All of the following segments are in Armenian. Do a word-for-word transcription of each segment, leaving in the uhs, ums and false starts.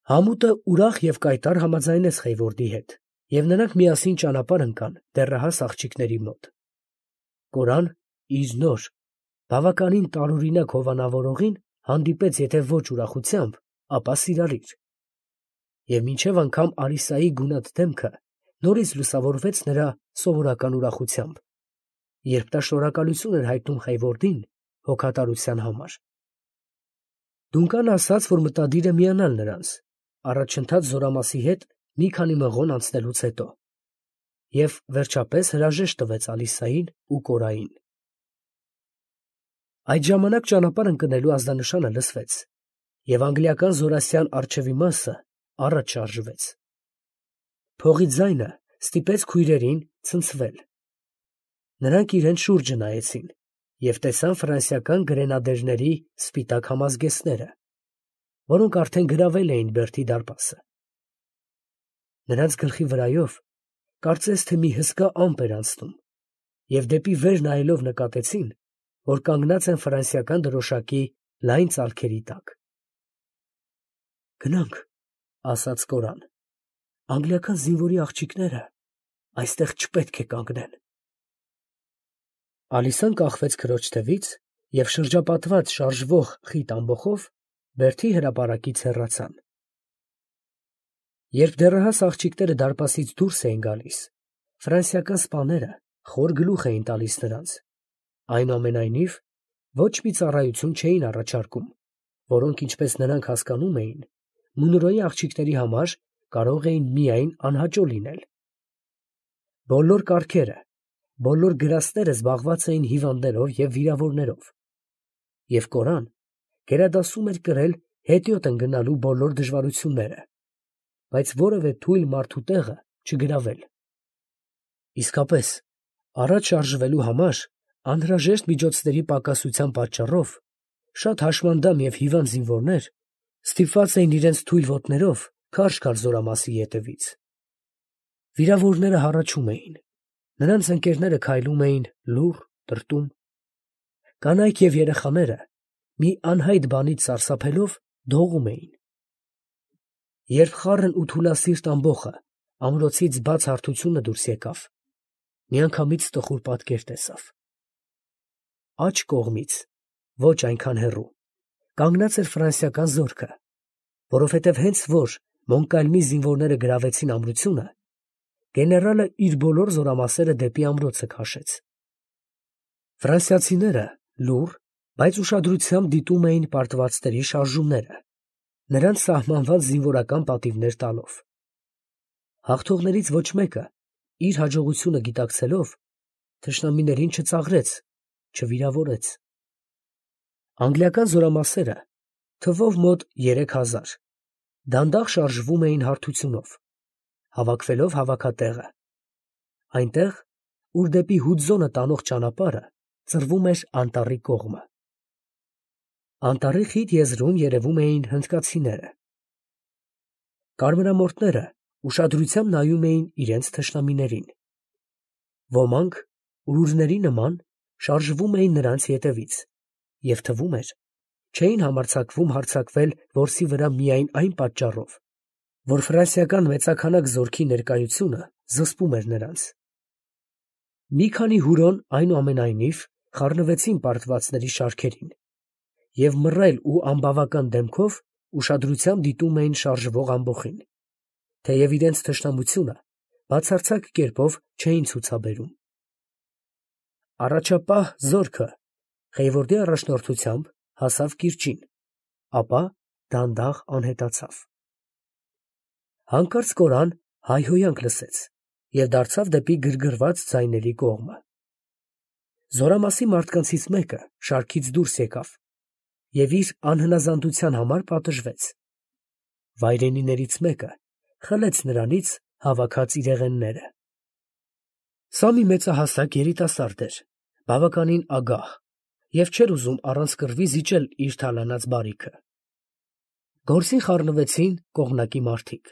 Համուտը ուրախ և կայտառ համաձայնեց Խեյվորդի հետ, և նրանք միասին ճանապարհ ընկան դեռահաս աղջիկների մոտ. Կորան իր նոր, բավականին տարօրինակ հովանավորողին հանդիպեց եթե ոչ ուրախությամբ, ապա սիրալիր. և մինչև անգամ Ալիսայի գունատ դեմքը նորից լուսավորվեց նրա սովորական ուրախությամբ, երբ նա շնորհակալություն էր հայտնում Խեյվորդին հոգատարության համար։ Դունկանը ասաց, որ մտադիր է միանալ նրանց, առաջընթաց զորամասի հետ մի քանի մղոն անցնելուց հետո, և վերջապես հրաժեշտ տվեց Ալիսային ու Կորային։ Այդ ժամանակ ճանապարհ ընկնելու ազդանշանը լսվեց, և անգլիական զորասյան առջևի մասը առաջ շարժվեց։ Փողի ձայնը ստիպեց քույրերին ցնցվել։ Նրանք իրենց շուրջը նայեցին և տեսան ֆրանսիական գրենադերների սպիտակ համազգեստները, որոնք արդեն գրավել էին Բերդի դարպասը։ Նրանց գլխի վրայով կարծես թե մի հսկա ամպ էր անցնում, և դեպի վեր նայելով նկատեցին, որ կանգնած են ֆրանսիական դրոշակի լայն ծալքերի տակ։ «Գնանք, ֊ ասաց Կորան, ֊ անգլիական զինվորի աղջիկները այստեղ չպետք է կանգնեն»։ Ալիսան կախվեց քրոջ թևից և շրջապատված շարժվող խիտ ամբոխով Բերդի հրապարակից հեռացան։ Երբ դեռահաս աղջիկները դարպասից դուրս էին գալիս, ֆրանսիական սպաները խոր գլուխ էին տալիս նրանց, այնուամենայնիվ ոչ մի ծառայություն չէին առաջարկում, որոնք, ինչպես նրանք հասկանում էին, Մունրոյի աղջիկների համար կարող էին միայն անհաճո լինել։ Բոլոր կառքերը, բոլոր գրաստները զբաղված էին հիվանդներով և վիրավորներով, և Կորան գերադասում էր կրել հետիոտ ընկնելու բոլոր դժվարությունները, բայց որևէ թույլ մարդու տեղը չգրավել։ Իսկապես, առաջ շարժվելու համար անհրաժեշտ միջոցների պակասության պատճառով շատ հաշմանդամ և հիվանդ զինվորներ ստիպված էին իրենց թույլ ոտներով քարշ գալ զորամասի ետևից։ Վիրավորները հառաչում էին, նրանց ընկերները քայլում էին լուռ, տրտում։ Կանայք և երեխաները մի անհայտ բանից սարսափելով դողում էին։ Երբ խառն ու թուլասիրտ ամբոխը ամրոցից բաց հարթությունը դուրս եկավ, միանգամից տխուր պատկեր տեսավ։ Աջ կողմից, ոչ այնքան հեռու, կանգնած էր ֆրանսիական զորքը, որովհետև հենց որ Մոնկալմի զինվորները գրավեցին ամրությունը, գեներալը իր բոլոր զորամասերը դեպի ամրոցը քաշեց։ Ֆրանսիացիները լուռ, բայց ուշադրությամբ դիտում էին պարտվածների շարժումները, նրանց սահմանված զինվորական պատիվներ տալով։ Հաղթողներից ոչ մեկը, իր հաջողությունը գիտակցելով, թշնամիներին չծաղրեց, չվիրավորեց։ Անգլիական զորամասերը, թվով մոտ երեք հազար, դանդաղ շարժվում էին հարթությունով, հավաքվելով հավաքատեղը, այնտեղ, ուր դեպի Հուդզոնը տանող ճանապարհը ծռվում էր անտառի կողմը։ Անտառի խիտ եզրում երևում էին հնդկացիները։ Կարմրամորթները ուշադրությամբ նայում էին իրենց թշնամիներին։ Ոմանք, ուրուրների նման, շարժվում էին նրանց ետևից, և թվում էր, չէին համարձակվում հարձակվել որսի վրա միայն այն պատճառով, որ ֆրանսիական մեծաքանակ զորքի ներկայությունը զսպում էր նրանց։ Մի քանի հուրոն, այնուամենայնիվ, խառնվեցին պարտվածների շարքերին և մռայլ ու անբավական դեմքով ուշադրությամբ դիտում էին շարժվող ամբոխին, թեև իրենց թշնամությունը բացարձակ կերպով չէին ցուցաբերում։ Առաջապահ զորքը Խեյվորդի առաջնորդությամբ հասավ կիրճին, ապա դանդաղ անհետացավ։ Հանկարծ Կորան հայհոյանք լսեց և դարձավ դեպի գրգռված ձայների կողմը։ Զորամասի մարդկանցից մեկը շարքից դուրս եկավ և իր անհնազանդության համար պատժվեց։ Վայրենիներից մեկը խլեց նրանից հավաքած իրեղենները։ Սա մի մեծահասակ երիտասարդ էր, բավականին ագահ և չէր ուզում առանց կռվի զիջել իր թալանած բարիքը։ Գործին խառնվեցին կողմնակի մարդիկ.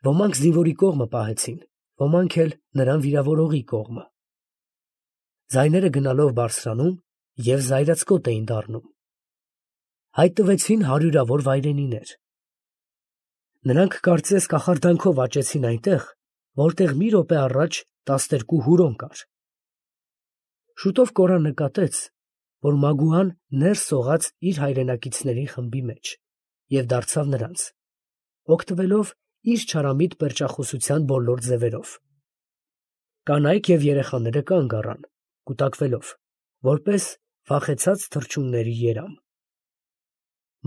ոմանք զինվորի կողմը պահեցին, ոմանք էլ նրան վիրավորողի կողմը։ Ձայները գնալով բարձրանում և զայրացկոտ էին դառնում։ Հայտնվեցին հարյուրավոր վայրենիներ։ Նրանք կարծես կախարդանքով աճեցին այնտեղ, որտեղ մի րոպե առաջ տասներկու հուրոն կար։ Շուտով Կորան նկատեց, որ Մագուան ներս սողաց իր հայրենակիցների խմբի մեջ և դարձավ նրանց, օգտվելով իր չարամիտ պերճախոսության բոլոր ձևերով։ Կանայք և երեխաները կանգ առան, կուտակվելով, որպես վախեցած թռչունների երամ։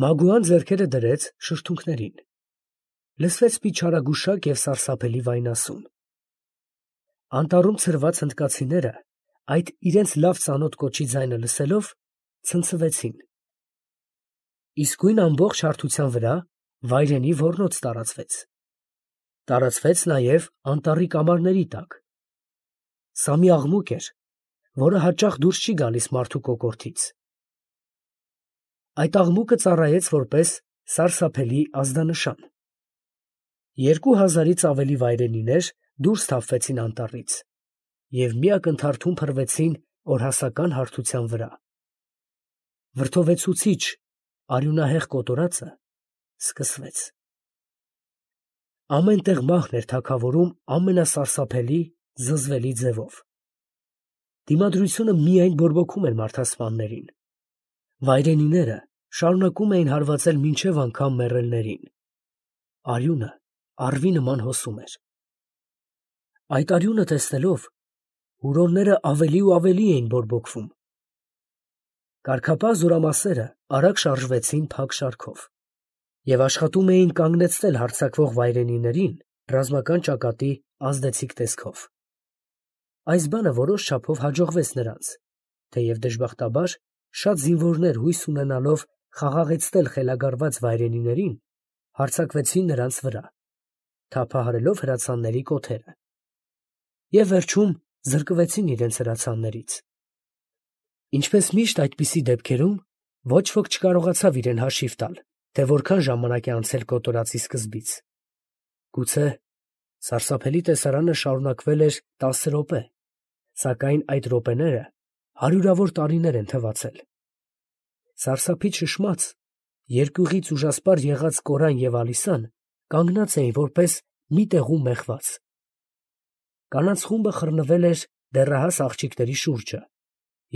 Մագուան ձեռքերը դրեց շրթունքներին։ Լսվեց մի չարագուշակ և սարսափելի վայնասուն։ Անտառում ցրված հնդկացիները, այդ իրենց լավ ծանոթ կոչի ձայնը լսելով, ցնցվեցին։ Իսկույն ամբողջ հարթության վրա վայրենի ոռնոց տարածվեց։ Տարածվեց նաև անտառի կամարների տակ։ Սա մի աղմուկ էր, որը հաճախ դուրս չի գալիս մարդու կոկորդից։ Այդ աղմուկը ծառայեց որպես սարսափելի ազդանշան։ Երկու հազարից ավելի վայրենիներ դուրս թափվեցին անտառից և մի ակնթարթում փռվեցին օրհասական հարթության վրա։ Վրդովեցուցիչ, արյունահեղ կոտորածը սկսվեց։ Ամեն տեղ մահն էր թագավորում ամենասարսափելի, զզվելի ձևով։ Դիմադրությունը միայն բորբոքում էր մարդասպաններին։ Վայրենիները շարունակում էին հարվածել մինչև անգամ մեռելներին։ Արյունը առվի նման հոսում էր։ Այդ արյունը տեսնելով, հուրոնները ավելի ու ավելի էին բորբոքվում։ Կարգապահ զորամասերը արագ շարժվեցին փակ շարքով և աշխատում էին կանգնեցնել հարձակվող վայրենիներին ռազմական ճակատի ազդեցիկ տեսքով։ Այս բանը որոշ չափով հաջողվեց նրանց, թեև դժբախտաբար շատ զինվորներ հույս ունենալով խաղաղեցնել խելագարված վայրենիներին, հարձակվեցին նրանց վրա, թափահարելով հրացանների կոթերը, և վերջում զրկվեցին իրենց հրացաններից։ Ինչպես միշտ այդպիսի դեպքերում, ոչ ոք չկարողացավ իրեն հաշիվ տալ, թե որքան ժամանակ է անցել կոտորածի սկզբից։ Գուցե սարսափելի տեսարանը շարունակվել էր տասը րոպե, սակայն այդ րոպեները հարյուրավոր տարիներ են թվացել։ Սարսափից շշմած, երկյուղից ուժասպառ եղած Կորան և Ալիսան կանգնած էին որպես մի տեղում մեխված։ Կանանց խումբը խռնվել էր դեռահաս աղջիկների շուրջը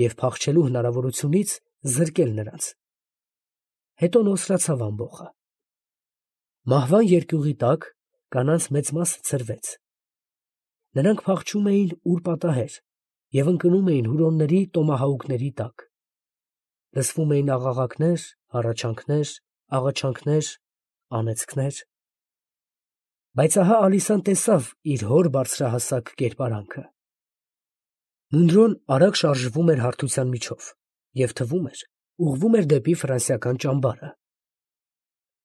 և փախչելու հնարավորությունից զրկել նրանց։ Հետո նոսրացավ ամբոխը։ Մահվան երկյուղի տակ կանանց մեծ մասը ցրվեց։ Նրանք փախչում էին ուր պատահեր և ընկնում էին հուրոնների տոմահաուկների տակ։ Լսվում էին աղաղակներ, հառաչանքներ, աղաչանքներ, անեծքներ։ Բայց ահա Ալիսան տեսավ իր հոր բարձրահասակ կերպարանքը։ Մունրոն արագ շարժվում էր հարթության միջով և թվում էր ուղղվում էր դեպի ֆրանսիական ճամբարը։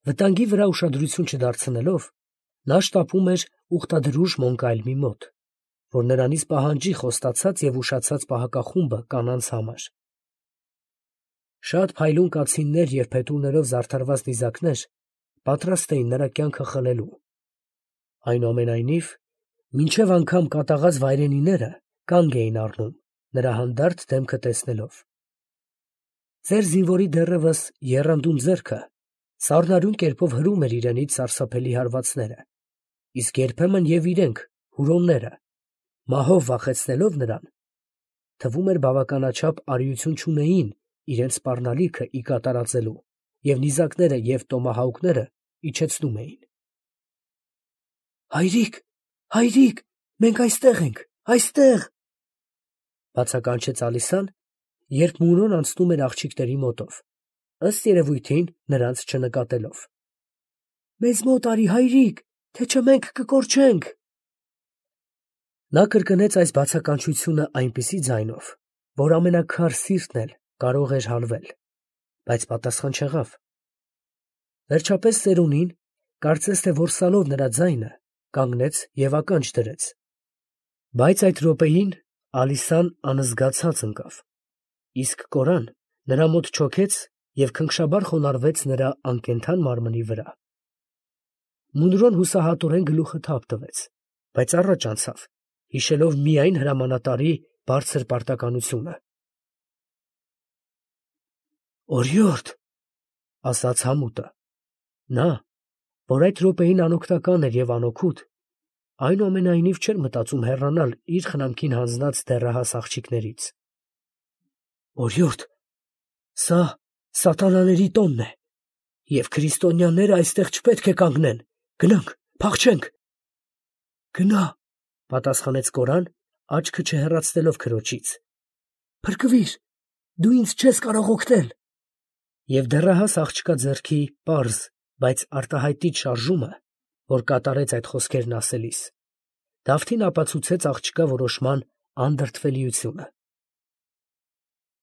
Վտանգի վրա ուշադրություն չդարձնելով, նա շտապում էր ուխտադրուժ Մոնկալմի մոտ, որ նրանից պահանջի խոստացած և ուշացած պահակախումբը կանանց համար։ Շատ փայլուն կացիններ և փետուրներով զարդարված նիզակներ պատրաստ էին նրա կյանքը խլելու։ Այնուամենայնիվ, մինչև անգամ կատաղած վայրենիները կանգ էին առնում, նրա հանդարտ դեմքը տեսնելով։ Ծեր զինվորի դեռևս եռանդուն ձեռքը սառնարյուն կերպով հրում էր իրենից սարսափելի հարվածները, իսկ երբեմն և իրենք, հուրոնները, մահով վախեցնելով նրան, թվում էր բավականաչափ արիություն չունեին իրենց սպառնալիքը ի կատարածելու և նիզակները և տոմահաուկները իջեցնում էին։ «Հայրիկ, հայրիկ, մենք այստեղ ենք, այստեղ», ֊ բացականչեց Ալիսան, երբ Մունրոն անցնում էր աղջիկների մոտով, ըստ երևույթին նրանց չնկատելով։ «Մեզ մոտ արի, հայրիկ, թե չէ մենք կկորչենք»։ Նա կրկնեց այս բացականչությունը այնպիսի ձայնով, որ ամենաքար սիրտն էլ կարող էր հալվել, բայց պատասխան չեղավ։ Վերջապես ծերունին, կարծես թե որսալով նրա ձայնը, կանգնեց և ականջ դրեց։ Բայց այդ րոպեին Ալիսան անզգացած ընկավ, իսկ Կորան նրա մոտ չոքեց և քնքշաբար խոնարհվեց նրա անկենդան մարմնի վրա։ Մունրոն հուսահատորեն գլուխը թափ տվեց, բայց առաջ անցավ, հիշելով միայն հրամանատարի բարձր պարտականությունը։ «Օրիորդ», ֊ ասաց համուտը, նա, Որ այդ րոպեին անօգնական էր և անօգուտ, այնուամենայնիվ չէր մտածում հեռանալ իր խնամքին հանձնած դեռահաս աղջիկներից։ Օրիորդ, սա սատանաների տոնն է, և քրիստոնյաները այստեղ չպետք է կանգնեն, գնանք, փախչենք։ Գնա, պատասխանեց Կորան, աչքը չհեռացնելով քրոջից։ Փրկվիր, դու ինձ չես կարող օգնել։ Եվ դեռահաս աղջկա ձեռքի պարզ, բայց արտահայտիչ շարժումը, որ կատարեց այդ խոսքերն ասելիս, Դավթին ապացուցեց աղջկա որոշման անդրդվելիությունը։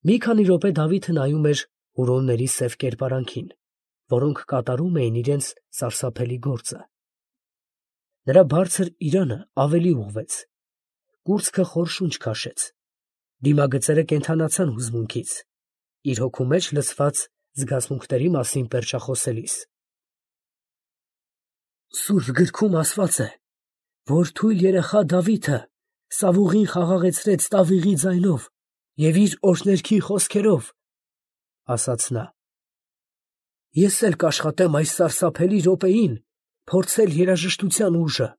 Մի քանի րոպե Դավիթը նայում էր հուրոնների սև կերպարանքին, որոնք կատարում էին իրենց սարսափելի գործը։ Նրա բարձր իրանը ավելի ուղղվեց, կուրծքը խոր շունչ քաշեց, դիմագծերը կենդանացան հուզմունքից, իր հոգու մեջ լցված զգացմունքների մասին պերճախոսելիս։ Սուրբ գրքում ասված է, որ թույլ երեխա Դավիթը Սավուղին խաղաղեցրեց տավիղի ձայնով և իր օրհներգի խոսքերով, ասաց նա. ես էլ կաշխատեմ այս սարսափելի րոպեին փորձել երաժշտության ուժը։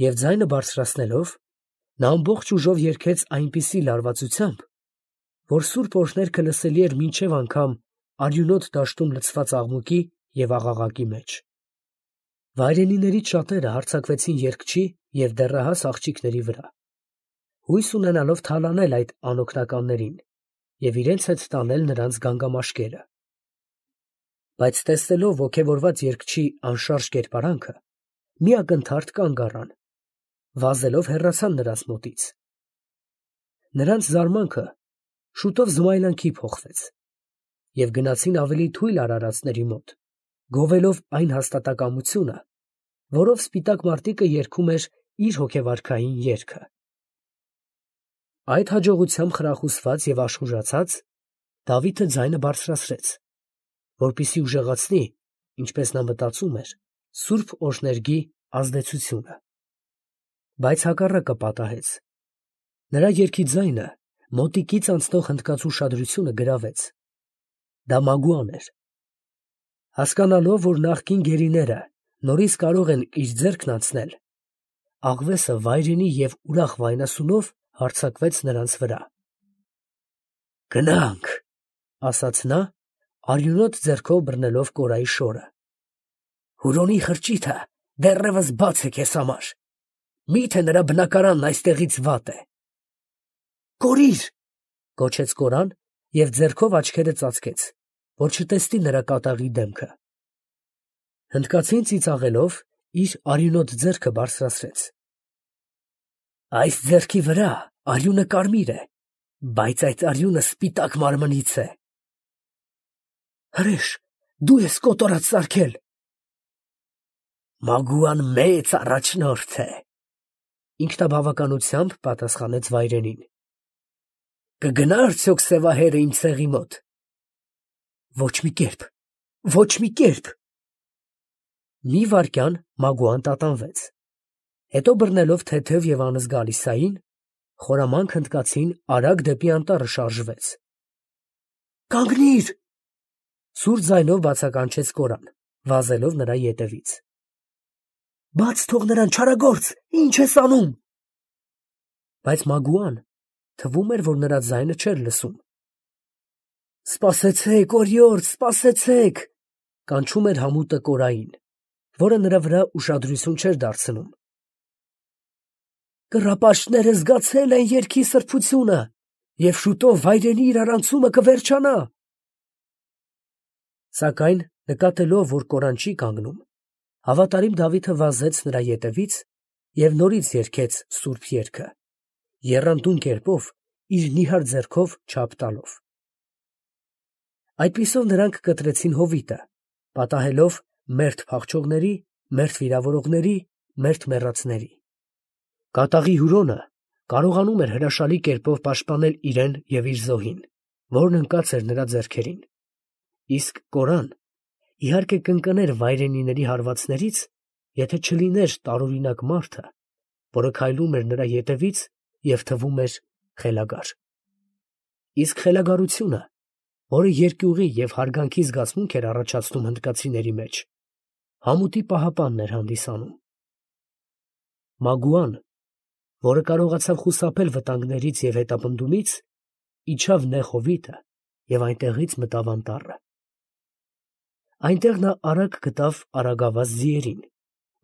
Եվ ձայնը բարձրացնելով, նա ամբողջ ուժով երգեց այնպիսի լարվածությամբ, որ սուրբ օրհներգը լսելի էր մինչև անգամ արյունոտ դաշտում լցված աղմուկի և աղաղակի մեջ։ Վայրենիներից շատերը հարձակվեցին երգչի և դեռահաս աղջիկների վրա, հույս ունենալով թալանել այդ անօգնականներին և իրենց հետ տանել նրանց գանգամաշկերը։ Բայց տեսնելով ոգևորված երգչի անշարժ կերպարանքը, մի ակնթարթ կանգ առան, վազելով հեռացան նրանց մոտից։ Նրանց զարմանքը շուտով զմայլանքի փոխվեց և գնացին ավելի թույլ արարածների մոտ, գովելով այն հաստատակամությունը, որով սպիտակ մարտիկը երգում էր իր հոգեվարքային երգը։ Այդ հաջողությամբ խրախուսված և աշխուժացած, Դավիթը ձայնը բարձրացրեց, որպեսզի ուժեղացնի, ինչպես նա մտածում էր, սուրբ օրհներգի ազդեցությունը։ Բայց հակառակը պատահեց. նրա երգի ձայնը մոտիկից անցնող հնդկած ուշադրությունը գրավեց։ Դա Մագուան էր։ Հասկանալով, որ նախկին գերիները նորից կարող են իր ձեռքն անցնել, աղվեսը վայրենի և ուրախ վայնասունով հարձակվեց նրանց վրա։ Գնանք, ասաց նա, արյունոտ ձեռքով բռնելով Կորայի շորը։ Հուրոնի խրճիթը դեռևս բաց է քեզ համար, միթե նրա բնակարանն այստեղից վատ է։ Կորիր, գոչեց Կորան և ձեռքով աչքերը ծածկեց, որ չտեսնի նրա կատաղի դեմքը։ Հնդկացին ծիծաղելով իր արյունոտ ձեռքը բարձրացրեց։ Այս ձեռքի վրա արյունը կարմիր է, բայց այդ արյունը սպիտակ մարմնից է։ Հրեշ, դու ես կոտորած սարքել։ Մագուան մեծ առաջնորդ է, ինքնաբավականությամբ պատասխանեց վայրենին։ Կգնա արդյոք սևահերը իմ ցեղի մոտ։ Ոչ մի կերպ, ոչ մի կերպ։ Մի վայրկյան Մագուան տատանվեց, հետո բռնելով թեթև և անզգալիսային, խորամանկ հնդկացին արագ դեպի անտառը շարժվեց։ Կանգնիր, սուր ձայնով բացականչեց Կորան, վազելով նրա ետևից։ Բաց թող նրան, չարագործ, ինչ ես անում։ Բայց Մագուան թվում էր, որ նրա ձայնը չէր լսում։ Սպասեցեք, օրիորդ, սպասեցեք, կանչում էր համուտը Կորային, որը նրա վրա ուշադրություն չէր դարձնում։ Կռապաշտները զգացել են երգի սրբությունը, և շուտով վայրենի իրարանցումը կվերջանա։ Սակայն նկատելով, որ Կորան չի կանգնում, հավատարիմ Դավիթը վազեց նրա ետևից և նորից երգեց սուրբ երգը, եռանդուն կերպով իր նիհար ձեռքով չափ տալով։ Այդպիսով նրանք կտրեցին հովիտը, պատահելով մերթ փախչողների, մերթ վիրավորողների, մերթ մեռածների։ Կատաղի հյուրոնը կարողանում էր հրաշալի կերպով պաշտպանել իրեն և իր զոհին, որն ընկած էր նրա ձեռքերին, իսկ Կորան, իհարկե, կընկներ վայրենիների հարվածներից, եթե չլիներ տարօրինակ մարդը, որը քայլում էր նրա ետևից և թվում էր խելագար։ Իսկ խելագարությունը, որը երկյուղի և հարգանքի զգացմունք էր առաջացնում հնդկացիների մեջ, համուտի պահապանն էր հանդիսանում։ Մագուան, որը կարողացավ խուսափել վտանգներից և հետապնդումից, իջավ նեղ հովիտը և այնտեղից մտավ անտառը։ Այնտեղ նա արագ գտավ արագավազ ձիերին,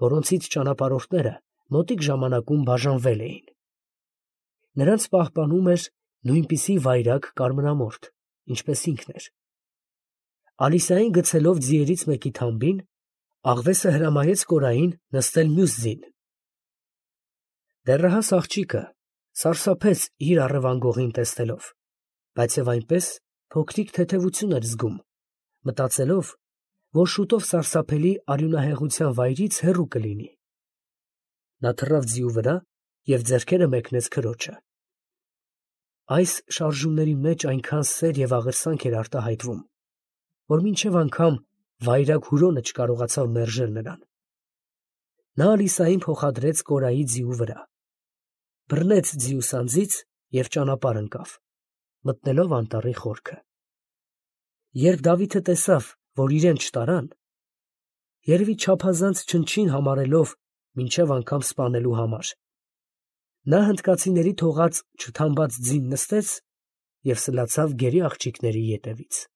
որոնցից ճանապարհորդները մոտիկ ժամանակում բաժանվել էին։ Նրանց պահպանում էր նույնպիսի վայրագ կարմրամորթ, ինչպես ինքն էր։ Ալիսային գցելով ձիերից մեկի թամբին, աղվեսը հրամայեց կորային նստել մյուս ձին։ Դեռահաս աղջիկը սարսափեց իր առևանգողին տեսնելով, բայց և այնպես փոքրիկ թեթևություն էր զգում, մտածելով, որ շուտով սարսափելի արյունահեղության վայրից հեռու կլինի։ Նա թռավ ձիու վրա և ձեռքերը մեկնեց քրոջը։ Այս շարժումների մեջ այնքան սեր և աղերսանք էր արտահայտվում, որ մինչև անգամ վայրագ Հուրոնը չկարողացավ մերժել նրան։ Նա Ալիսային փոխադրեց կորայի ձիու վրա, բռնեց ձիու սանձից և ճանապարհ ընկավ, մտնելով անտառի խորքը։ Երբ Դավիթը տեսավ, որ իրեն չտարան, երևի չափազանց չնչին համարելով մինչև անգամ սպանելու համար, նա հնդկացիների թողած չթամբած ձին նստեց և սլացավ գերի աղջիկների ետևից։